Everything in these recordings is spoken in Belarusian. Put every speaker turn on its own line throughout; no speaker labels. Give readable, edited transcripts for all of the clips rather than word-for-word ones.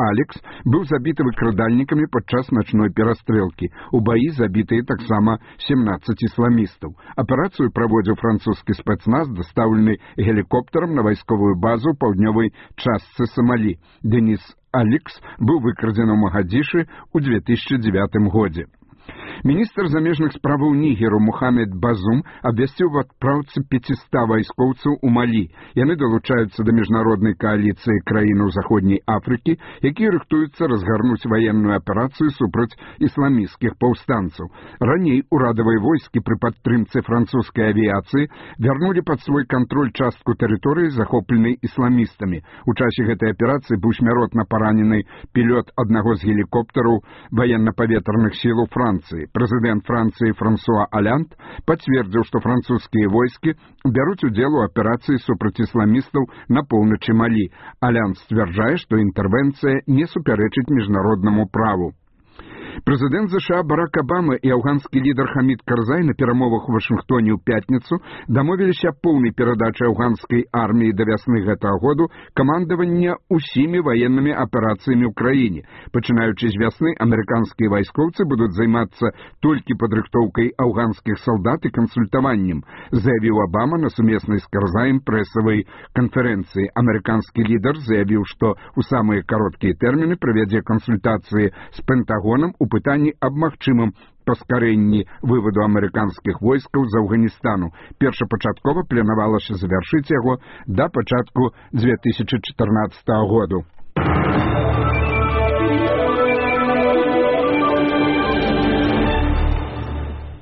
Алекс быў забіты выкрадальнікамі падчас начной перастрэлкі. У баі забітыя таксама 17 ісламістаў. Аперацыю праводзіў французскі спецназ, дастаўлены гелікоптарам на вайсковую базу ў паўднёвай частцы Сомалі. Денис Алекс быў выкрадзены ў Магадзішы ў 2009 годзе. Міністр замежных справаў Нігеру Мухаммед Базум абвясціў в адпраўцы 500 вайскоўцаў у Малі. Яны далучаюцца да міжнароднай кааліцыі краінаў Заходняй Афрыкі, якія рыхтуюцца разгарнуць ваенную аперацыю супраць ісламісцкіх паўстанцаў. Раней урадавыя войскі пры падтрымцы французскай авіяцыі вярнулі пад свой кантроль частку тэрыторыі, захопленай ісламістамі. У часе гэтай аперацыі быў смяротна паранены пілот аднаго з гелікоптараў ваенна-паветраных сілаў Францыі. Прэзідэнт Францыі Франсуа Олянд пацвердзіў, што французскія войскі бяруць удзел у аперацыі супраць ісламістаў на поўначы Малі. Олянд сцвярджае, што інтэрвенцыя не супярэчыць міжнароднаму праву. Прэзідэнт ЗША Барак Абама і афганскі лідар Хамід Карзай на перамовах у Вашынгтоне ў пятніцу дамовіліся аб поўнай перадачы афганскай арміі да вясны гэтага году камандавання ўсімі ваеннымі аперацыямі ў краіне. Пачынаючы з вясны, амерыканскія вайскоўцы будуць займацца толькі падрыхтоўкай афганскіх салдат і кансультаваннем, заявіў Абама на сумеснай з Карзаем прэсавай канферэнцыі. Амерыканскі лідар заявіў, што ў самыя кароткія тэрміны правядзе кансультацыі з Пентагонам у пытанні аб магчымым паскарэнні вываду амерыканскіх войскаў з Афганістану. Першапачаткова планавалася завяршыць яго да пачатку 2014 году.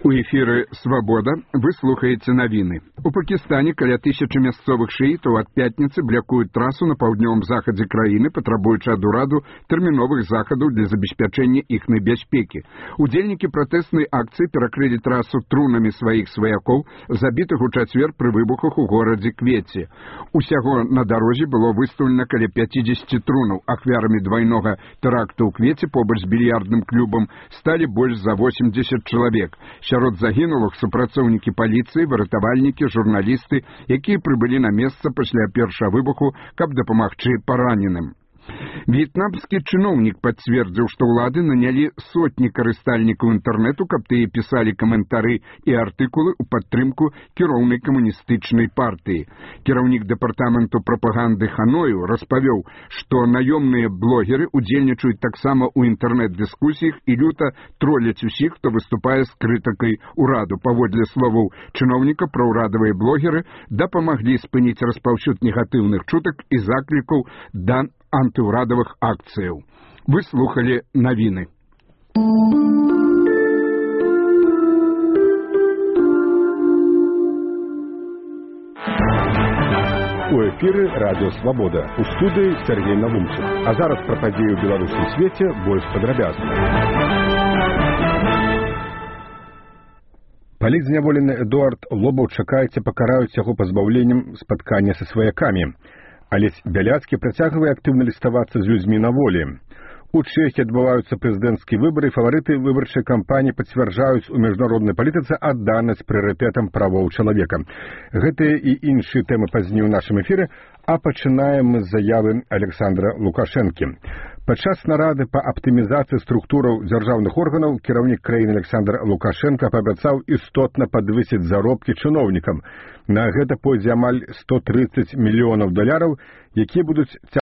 У эфіры «Свабода» вы слухаеце навіны. У Пакістане каля 1000 мясцовых шыітаў ад пятніцы блякуюць трасу на паўднёвым захадзе краіны, патрабуючы ад ураду тэрміновых захадаў для забеспячэння іхнай бяспекі. Удзельнікі пратэснай акцыі перакрылі трасу трунамі сваіх сваякоў, забітых у чацвер пры выбухах у горадзе Кветі. Усяго на дарозе было выстаўлена каля 50 трунаў. Ахвярамі двайнога тэракту ў Кветі побач з більярдным клубам сталі больш за 80 чалавек. Сярод загінулых супрацоўнікі паліцыі, выратавальнікі, журналісты, якія прыбылі на месца пасля першага выбуху, каб дапамагчы параненым. В'етнамскі чыноўнік пацвердзіў, што ўлады нанялі сотні карыстальнікаў інтэрнэту, каб тыя пісалі каментары і артыкулы ў падтрымку кіроўнай камуністычнай партыі. Кіраўнік дэпартаменту прапаганды Ханою распавёў, што наёмныя блогеры удзельнічаюць таксама ў інтэрнэт-дыскусіях і люта троляць усіх, хто выступае з крытыкай ураду. Паводле словаў чыноўніка, праўрадавыя блогеры дапамаглі спыніць распаўсюд негатыўных чутак і заклікаў да антыўрадавых акцыяў. Вы слухалі навіны.
У эфіры радыё «Свабода». У студыі Сергей Навумчык. А зараз пра падзеі ў беларускім свеце больш падрабязна. Палітзняволены Эдуард Лобаў чакаецца пакараюць яго пазбаўленнем спаткання са сваякамі. Алесь Бяляцкі працягвае актыўна ліставацца з людзьмі на волі. У Чэхіі адбываюцца прэзідэнцкія выбары, фаварыты выбарчай кампаніі пацвярджаюць у міжнароднай палітыцы адданасць прыярытэтам правоў чалавека. Гэтыя і іншыя тэмы пазней у нашым эфіры, а пачынаем мы з заявы Александра Лукашэнкі. Падчас нарады па аптымізацыі структураў дзяржаўных органаў кіраўнік краіны Александр Лукашенко паабяцаў істотна падвысіць заробкі чыноўнікам. На гэта пойдзе амаль $130 мільёнаў, якія будуць